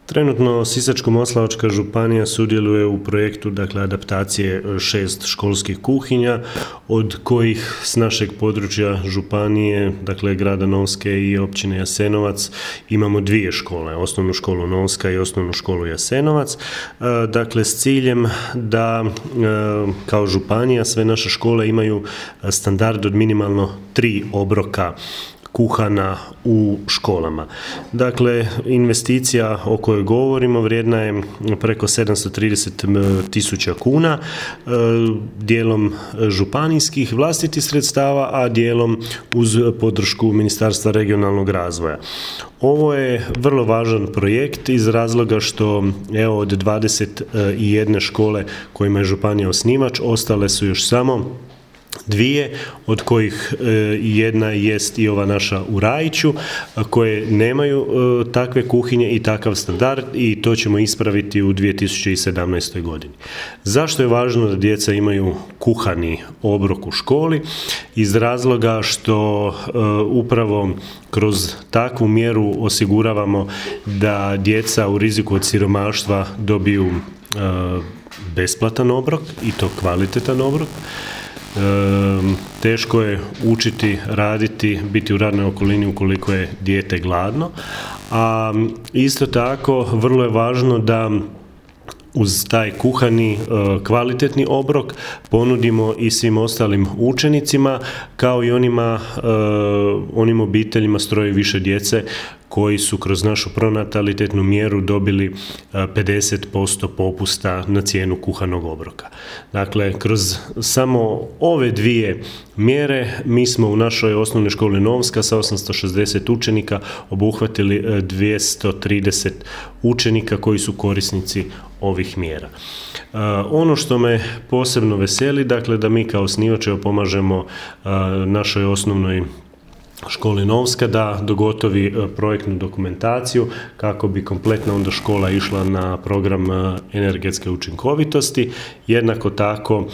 Trenutno Sisačko-moslavačka županija sudjeluje u projektu adaptacije 6 školskih kuhinja, od kojih s našeg područja županije, grada Novske i općine Jasenovac, imamo 2 škole, osnovnu školu Novska i osnovnu školu Jasenovac, s ciljem da kao županija sve naše škole imaju standard od minimalno 3 obroka kuhana u školama. Investicija o kojoj govorimo vrijedna je preko 730.000 kuna, dijelom županijskih vlastitih sredstava, a dijelom uz podršku Ministarstva regionalnog razvoja. Ovo je vrlo važan projekt iz razloga što od 21 škole kojima je županija osnivač, ostale su još samo 2, od kojih jedna jest i ova naša u Rajiću, koje nemaju takve kuhinje i takav standard, i to ćemo ispraviti u 2017. godini. Zašto je važno da djeca imaju kuhani obrok u školi? Iz razloga što upravo kroz takvu mjeru osiguravamo da djeca u riziku od siromaštva dobiju besplatan obrok, i to kvalitetan obrok. Teško je učiti, raditi, biti u radnoj okolini ukoliko je dijete gladno, a isto tako vrlo je važno da uz taj kuhani kvalitetni obrok ponudimo i svim ostalim učenicima, kao i onim obiteljima s 3 i više djece koji su kroz našu pronatalitetnu mjeru dobili 50% popusta na cijenu kuhanog obroka. Kroz samo ove 2 mjere mi smo u našoj osnovnoj školi Novska sa 860 učenika obuhvatili 230 učenika koji su korisnici ovih mjera. Ono što me posebno veseli, da mi kao osnivač pomažemo našoj osnovnoj školi Novska da dogotovi projektnu dokumentaciju kako bi kompletna onda škola išla na program energetske učinkovitosti. Jednako tako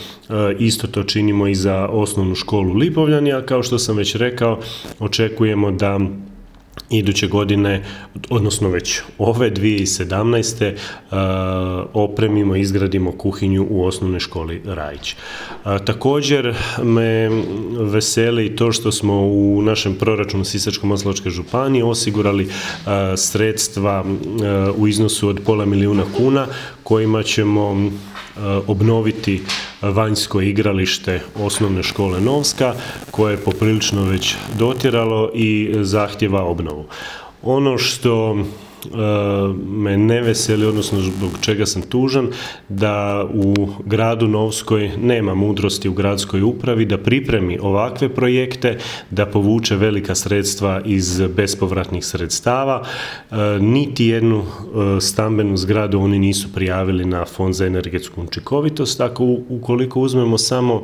isto to činimo i za osnovnu školu Lipovljani, a kao što sam već rekao, očekujemo da iduće godine, odnosno već ove 2017. opremimo i izgradimo kuhinju u osnovnoj školi Rajić. Također me veseli to što smo u našem proračunu Sisačko-moslavačke županije osigurali sredstva u iznosu od $500.000 kuna kojima ćemo obnoviti vanjsko igralište osnovne škole Novska, koje je poprilično već dotjeralo i zahtjeva obnovu. Ono što me ne veseli, odnosno zbog čega sam tužan, da u gradu Novskoj nema mudrosti u gradskoj upravi da pripremi ovakve projekte, da povuče velika sredstva iz bespovratnih sredstava. Niti jednu stambenu zgradu oni nisu prijavili na Fond za energetsku učinkovitost. Tako ukoliko uzmemo samo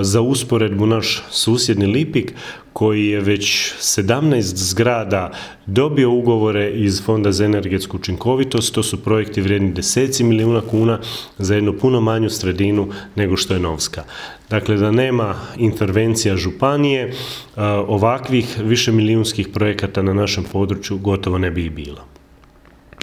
za usporedbu naš susjedni Lipik, koji je već 17 zgrada dobio ugovore iz Fonda za energetsku učinkovitost, to su projekti vrijedni deseci milijuna kuna za jednu puno manju sredinu nego što je Novska. Da nema intervencija županije, ovakvih višemilijunskih projekata na našem području gotovo ne bi i bilo.